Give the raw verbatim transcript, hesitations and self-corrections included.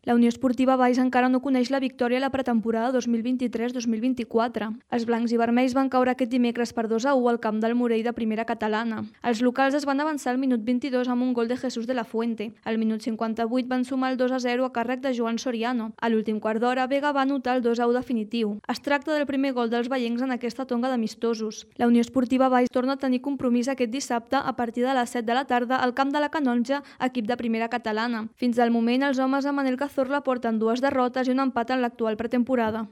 La Unió Esportiva Valls encara no coneix la victòria a la pretemporada dos mil vint-i-tres dos mil vint-i-quatre. Els blancs i vermells van caure aquest dimecres per dos a u al camp del Morell de primera catalana. Els locals es van avançar al minut vint-i-dos amb un gol de Jesús de la Fuente. Al minut cinquanta-vuit van sumar el dos a zero a càrrec de Joan Soriano. A l'últim quart d'hora, Vega va anotar el dos a u definitiu. Es tracta del primer gol dels vallencs en aquesta tonga d'amistosos. La Unió Esportiva Valls torna a tenir compromís aquest dissabte a partir de les set de la tarda al camp de la Canonja, equip de primera catalana. Fins al moment, els homes de Manel Cazorla porten dues derrotes i un empat en l'actual pretemporada.